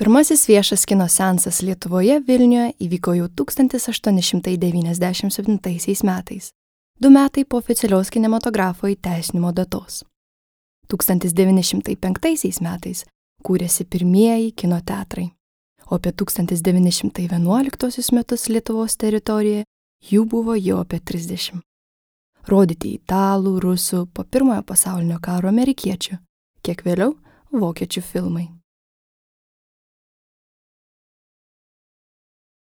Pirmasis viešas kino seansas Lietuvoje Vilniuje įvyko jau 1897 metais, 2 metai po oficialios kinematografo įteisinimo datos. 1905 metais kūrėsi pirmieji kino teatrai, o apie 1911 metus Lietuvos teritorijoje jų buvo jau apie 30. Rodyti italų, rusų, po Pirmojo pasaulinio karo amerikiečių, kiek vėliau vokiečių filmai.